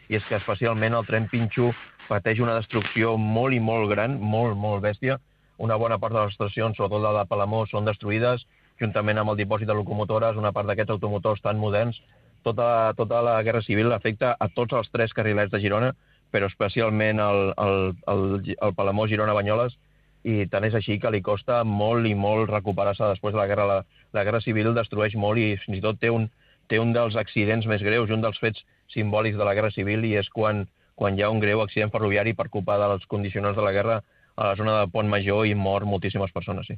i és que especialment el tren Pinxo pateix una destrucció molt i molt gran, molt bèstia. Una bona part de les estacions, sobretot la de Palamós, són destruïdes, juntament amb el dipòsit de locomotores, una part d'aquests automotors tan moderns. Tota la Guerra Civil afecta a tots els 3 carrilers de Girona, però especialment el Palamós-Girona-Banyoles, i tant és així que li costa molt i molt recuperar-se després de la guerra. La Guerra Civil destrueix molt i fins i tot té un dels accidents més greus, un dels fets simbòlics de la Guerra Civil, i és quan hi ha un greu accident ferroviari per culpa dels condicionants de la guerra a la zona de Pont Major i mor moltíssimes persones, sí.